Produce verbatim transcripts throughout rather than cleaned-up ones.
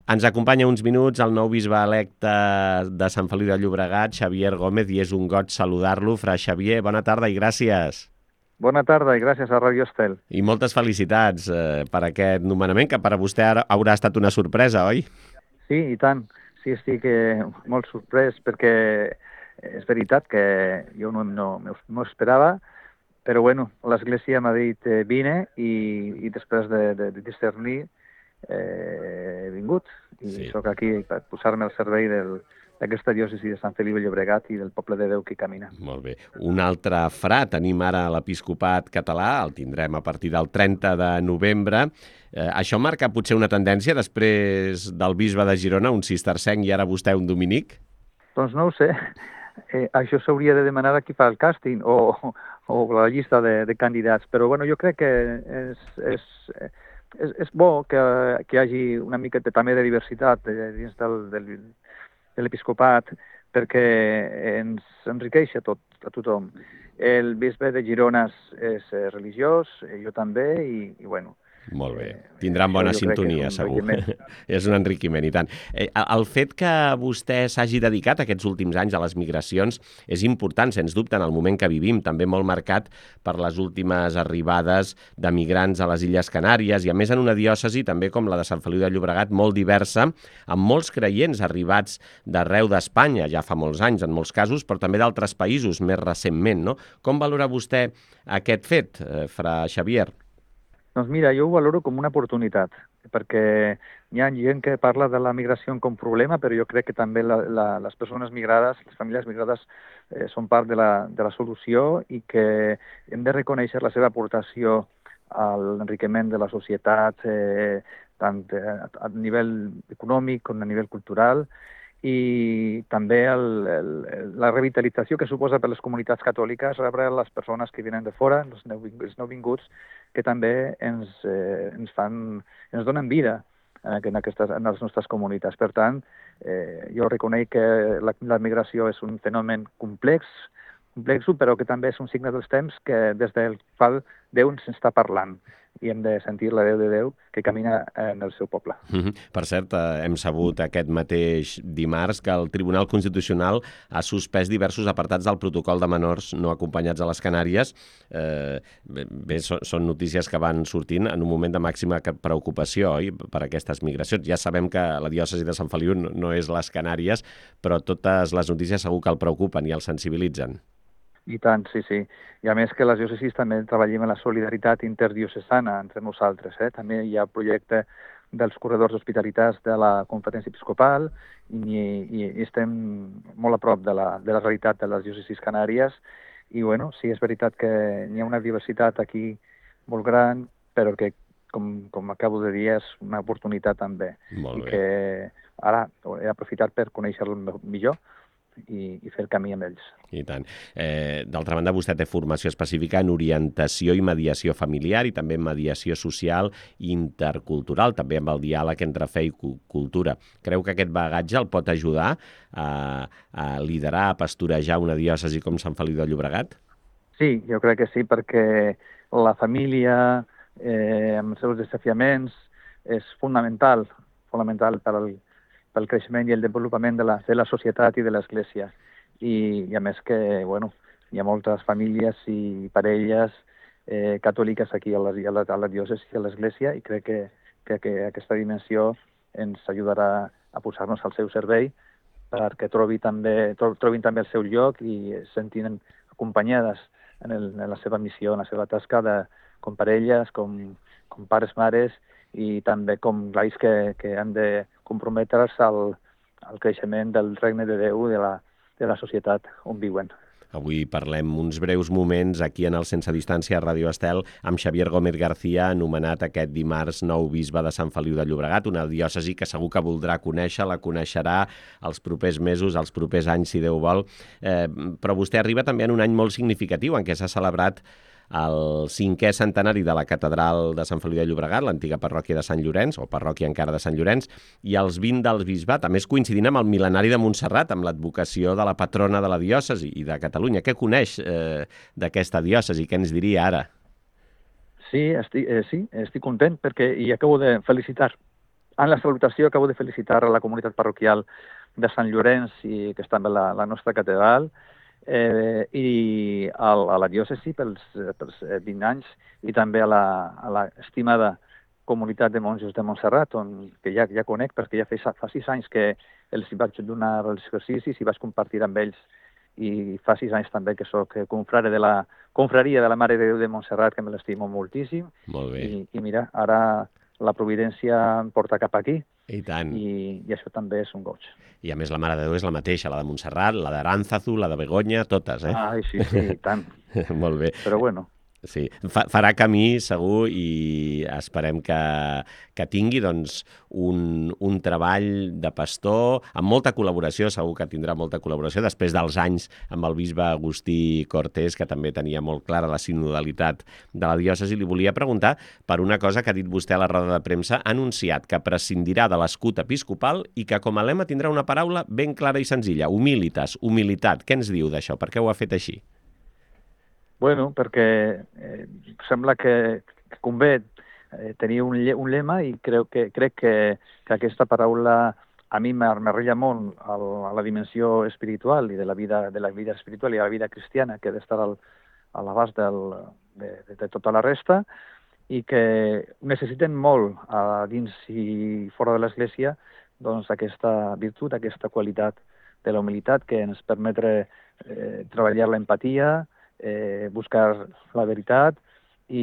Ens acompanya uns minuts el nou bisbe electe de Sant Feliu de Llobregat, Xavier Gómez, i és un goig saludar-lo. Fra Xavier, bona tarda i gràcies. Bona tarda i gràcies a Radio Estel. I moltes felicitats eh, per aquest nomenament, que per a vostè ara haurà estat una sorpresa, oi? Sí, i tant. Sí, estic eh, molt sorprès perquè és veritat que jo no, no, no esperava, però bueno, l'Església m'ha dit eh, vine i, i després de, de, de discernir eh, he vingut. I sí. Soc aquí per posar-me al servei del, d'aquesta diòcesi de Sant Feliu de Llobregat i del poble de Déu que hi camina. Molt bé. Un altre fra tenim ara a l'episcopat català, el tindrem a partir del trenta de novembre. Eh, això marca potser una tendència després del bisbe de Girona, un cistercenc, i ara vostè un dominic? Doncs no ho sé. Eh, això s'hauria de demanar a qui fa el càsting o, o la llista de, de candidats, però bueno, jo crec que és, és, és, és bo que, que hi hagi una mica de, també de diversitat dins del, del, de l'episcopat, perquè ens enriqueix a, tot, a tothom. El bisbe de Girona és religiós, jo també, i, i bueno, molt bé. Tindran bona sintonia, segur. És un enriquiment, i tant. El fet que vostè s'hagi dedicat aquests últims anys a les migracions és important, sens dubte, en el moment que vivim, també molt marcat per les últimes arribades de migrants a les Illes Canàries, i a més en una diòcesi també com la de Sant Feliu de Llobregat, molt diversa, amb molts creients arribats d'arreu d'Espanya, ja fa molts anys en molts casos, però també d'altres països més recentment, no? Com valora vostè aquest fet, fra Xavier? Doncs mira, jo ho valoro com una oportunitat, perquè hi ha gent que parla de la migració com problema, però jo crec que també la, la, les persones migrades, les famílies migrades, eh, són part de la, de la solució i que hem de reconèixer la seva aportació a l'enriquiment de la societat, eh, tant a nivell econòmic com a nivell cultural, i també el, el, la revitalització que suposa per les comunitats catòliques rebre les persones que venen de fora, els, els nouvinguts, que també ens, eh, ens, fan, ens donen vida en, aquestes, en les nostres comunitats. Per tant, eh, jo reconec que la, la migració és un fenomen complex, complex, però que també és un signe dels temps que des del qual Déu ens està parlant, i hem de sentir la veu de Déu que camina en el seu poble. Mm-hmm. Per cert, eh, hem sabut aquest mateix dimarts que el Tribunal Constitucional ha suspès diversos apartats del protocol de menors no acompanyats a les Canàries. Eh, bé, són, són notícies que van sortint en un moment de màxima preocupació, oi?, per aquestes migracions. Ja sabem que la diòcesi de Sant Feliu no, no és les Canàries, però totes les notícies segur que el preocupen i el sensibilitzen. I tant, sí, sí. I a més que les diòcesis també treballem en la solidaritat interdiocesana entre nosaltres. Eh? També hi ha el projecte dels corredors d'hospitalitats de la Conferència Episcopal i, i estem molt a prop de la, de la realitat de les diòcesis canàries. I bueno, sí, és veritat que hi ha una diversitat aquí molt gran, però que, com, com acabo de dir, és una oportunitat també. Molt bé. I que ara he aprofitat per conèixer-lo millor i, i fer el camí amb ells. I tant. Eh, d'altra banda, vostè té formació específica en orientació i mediació familiar i també en mediació social i intercultural, també amb el diàleg entre fe i cultura. Creu que aquest bagatge el pot ajudar a, a liderar, a pastorejar una diòcesi com Sant Feliu de Llobregat? Sí, jo crec que sí, perquè la família, eh, amb els seus desafiaments, és fonamental, fonamental per al pel creixement i el desenvolupament de la, de la societat i de l'Església. I, I a més que, bueno, hi ha moltes famílies i parelles eh, catòliques aquí a la, a la, a la diòcesi i a l'Església, i crec que, que, que aquesta dimensió ens ajudarà a posar-nos al seu servei perquè trobi també, tro, trobin també el seu lloc i es sentin acompanyades en, el, en la seva missió, en la seva tasca de, com parelles, com, com pares, mares, i també com gais que, que han de comprometre's al, al creixement del regne de Déu i de la, de la societat on viuen. Avui parlem uns breus moments aquí en el Sense Distància a Ràdio Estel amb Xavier Gómez García, anomenat aquest dimarts nou bisbe de Sant Feliu de Llobregat, una diòcesi que segur que voldrà conèixer, la coneixerà els propers mesos, els propers anys, si Déu vol. Eh, però vostè arriba també en un any molt significatiu en què s'ha celebrat el cinquè centenari de la catedral de Sant Feliu de Llobregat, l'antiga parròquia de Sant Llorenç, o parròquia encara de Sant Llorenç, i els vint del bisbat, a més coincidint amb el mil·lenari de Montserrat, amb l'advocació de la patrona de la diòcesi i de Catalunya. Què coneix eh, d'aquesta diòcesi? Què ens diria ara? Sí, estic, eh, sí, estic content perquè i acabo de felicitar En la salutació acabo de felicitar a la comunitat parroquial de Sant Llorenç, i, que està també la, la nostra catedral, eh, i al, a la diòcesi pels, pels vint anys, i també a la, a la estimada comunitat de monjos de Montserrat, on, que ja, ja conec, perquè ja fa, fa sis anys que els vaig donar els exercicis i vaig compartir amb ells, i fa sis anys també que sóc confrare de la confraria de la Mare de Déu de Montserrat, que me l'estimo moltíssim. Molt bé. I, i mira, ara la providència em porta cap aquí. I tant. I, i això també és un goig. I a més la Mare de Déu és la mateixa, la de Montserrat, la d'Aránzazu, la de Begoña, totes, eh? Ai, sí, sí, i tant. Molt bé. Però bueno. Sí, Fa, farà camí segur, i esperem que, que tingui doncs, un, un treball de pastor amb molta col·laboració, segur que tindrà molta col·laboració, després dels anys amb el bisbe Agustí Cortés, que també tenia molt clara la sinodalitat de la diòcesi. Li volia preguntar per una cosa que ha dit vostè a la roda de premsa. Ha anunciat que prescindirà de l'escut episcopal i que com a lema tindrà una paraula ben clara i senzilla: humilitas, humilitat. Què ens diu d'això? Per què ho ha fet així? Bueno, perquè eh, sembla que, que convé eh, tenir un, un lema, i crec que, crec que, que aquesta paraula a mi m'arrella molt al, a la dimensió espiritual i de la vida, de la vida espiritual i a la vida cristiana, que ha d'estar al, a l'abast del, de, de, de tota la resta, i que necessiten molt a dins i fora de l'Església doncs, aquesta virtut, aquesta qualitat de la humilitat, que ens permetre eh, treballar l'empatia, Eh, buscar la veritat, i,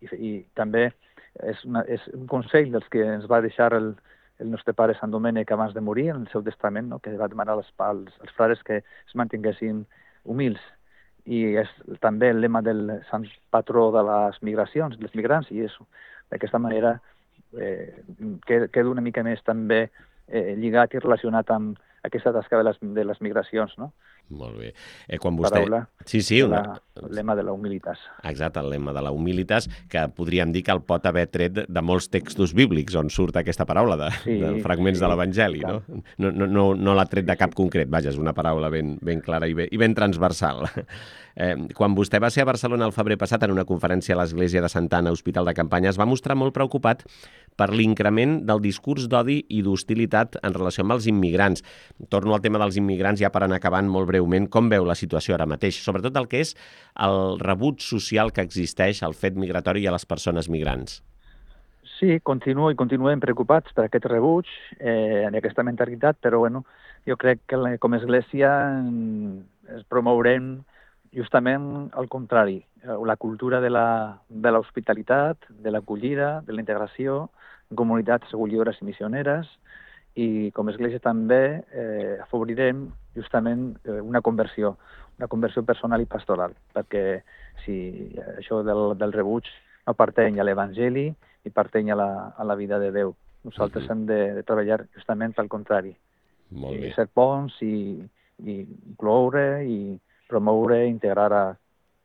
i, i també és, una, és un consell dels que ens va deixar el, el nostre pare Sant Domènec abans de morir, en el seu testament, no? Que va demanar als, als, als frares que es mantinguessin humils. I és també el lema del sant patró de les migracions, dels migrants, i és d'aquesta manera eh, queda una mica més també eh, lligat i relacionat amb aquesta tasca de les, de les migracions, no? Molt bé. Eh, quan vostè... Paraula, sí, sí, una... la, el lema de la humilitas. Exacte, el lema de la humilitas, que podríem dir que el pot haver tret de molts textos bíblics on surt aquesta paraula, de, sí, de fragments sí, de l'Evangeli, no? No, no, no, no l'ha tret de cap concret, vaja, és una paraula ben, ben clara i ben, i ben transversal. Eh, quan vostè va ser a Barcelona el febrer passat en una conferència a l'Església de Santa Anna, Hospital de Campanya, es va mostrar molt preocupat per l'increment del discurs d'odi i d'hostilitat en relació amb els immigrants. Torno al tema dels immigrants ja per anar acabant molt breument. Com veu la situació ara mateix? Sobretot el que és el rebuig social que existeix al fet migratori i a les persones migrants. Sí, continuo i continuem preocupats per aquest rebuig, eh, en aquesta mentalitat, però bueno, jo crec que com a Església es promourem justament al contrari, la cultura de l'hospitalitat, de l'acollida, de la integració en comunitats acollidores i missioneres, i com a Església també eh, afavorirem justament eh, una conversió, una conversió personal i pastoral, perquè si això del, del rebuig no pertany a l'Evangeli i pertany a la, a la vida de Déu. Nosaltres uh-huh. hem de, de treballar justament pel contrari. Molt bé. I ser ponts i, i incloure i promoure i integrar a,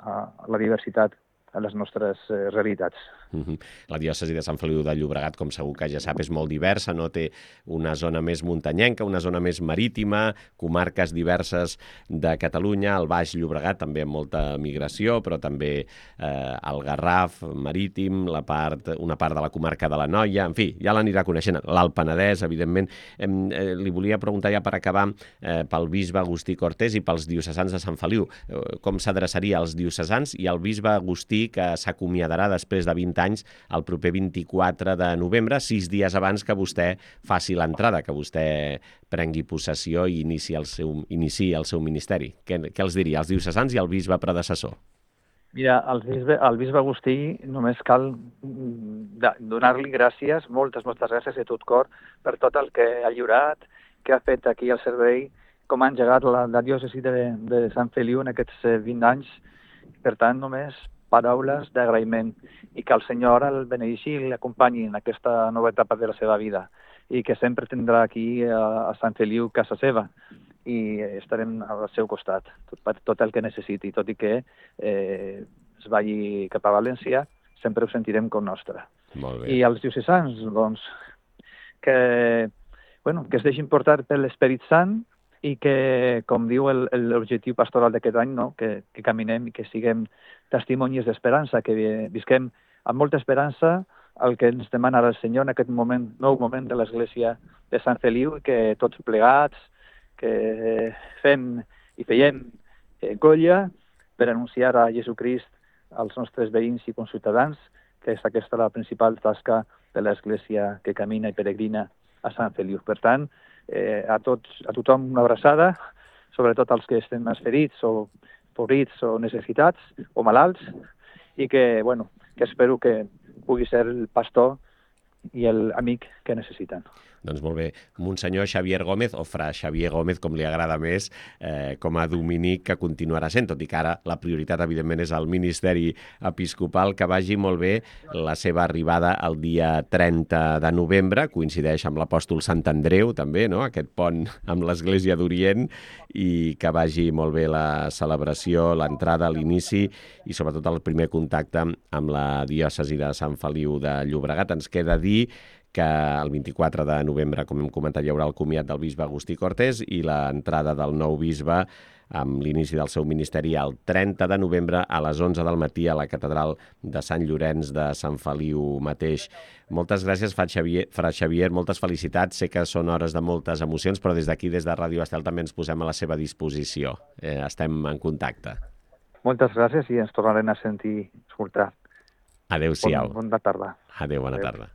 a la diversitat a les nostres eh, realitats. Uh-huh. La diòcesi de Sant Feliu de Llobregat, com segur que ja sap, és molt diversa, no? Té una zona més muntanyenca, una zona més marítima, comarques diverses de Catalunya, el Baix Llobregat també amb molta migració, però també eh, el Garraf marítim, la part, una part de la comarca de l'Anoia, en fi, ja l'anirà coneixent, l'Alt Penedès, evidentment. Eh, eh, li volia preguntar ja per acabar eh, pel bisbe Agustí Cortés i pels diocesans de Sant Feliu. Eh, com s'adreçaria als diocesans i al bisbe Agustí, que s'acomiadarà després de vint anys el proper vint-i-quatre de novembre, sis dies abans que vostè faci l'entrada, que vostè prengui possessió i inici el seu, inici el seu ministeri. Què, què els diria, als diocesans i al bisbe predecessor? Mira, al bisbe, al bisbe Agustí només cal donar-li gràcies, moltes, moltes gràcies de tot cor per tot el que ha lliurat, que ha fet aquí al servei, com ha engegat la, la diòcesi de, de Sant Feliu en aquests vint anys. Per tant, només paraules d'agraïment, i que el Senyor el beneixi i l'acompanyi en aquesta nova etapa de la seva vida, i que sempre tindrà aquí a, a Sant Feliu casa seva, i estarem al seu costat, tot, tot el que necessiti, tot i que eh, es vagi cap a València, sempre ho sentirem com nostre. Molt bé. I als diocesans, doncs, que, bueno, que es deixin portar per l'Esperit Sant, i que, com diu l'objectiu pastoral d'aquest any, no? que, que caminem i que siguem testimonis d'esperança, que visquem amb molta esperança el que ens demana el Senyor en aquest moment, nou moment de l'Església de Sant Feliu, que tots plegats, que fem i feiem eh, colla per anunciar a Jesucrist als nostres veïns i conciutadans, que és aquesta la principal tasca de l'Església que camina i peregrina a Sant Feliu. Per tant, eh, a, tots, a tothom una abraçada, sobretot als que estem més ferits o pobrits o necessitats o malalts, i que, bueno, que espero que pugui ser el pastor i l'amic que necessiten. Doncs molt bé. Monsenyor Xavier Gómez, o fra Xavier Gómez, com li agrada més, eh, com a dominic que continuarà sent, tot i que ara la prioritat, evidentment, és el ministeri episcopal. Que vagi molt bé la seva arribada el dia trenta de novembre, coincideix amb l'apòstol Sant Andreu, també, no?, aquest pont amb l'Església d'Orient, i que vagi molt bé la celebració, l'entrada, l'inici i sobretot el primer contacte amb la diòcesi de Sant Feliu de Llobregat. Ens queda dir que el vint-i-quatre de novembre, com hem comentat, hi haurà el comiat del bisbe Agustí Cortés i l'entrada del nou bisbe amb l'inici del seu ministeri el trenta de novembre a les onze del matí a la catedral de Sant Llorenç de Sant Feliu mateix. Moltes gràcies, Fra Xavier, Fra Xavier, moltes felicitats. Sé que són hores de moltes emocions, però des d'aquí, des de Ràdio Estel, també ens posem a la seva disposició. Eh, estem en contacte. Moltes gràcies i ens tornarem a sentir, escoltar. Adéu-siau. Bon, bona tarda. Adéu, bona Adéu. tarda.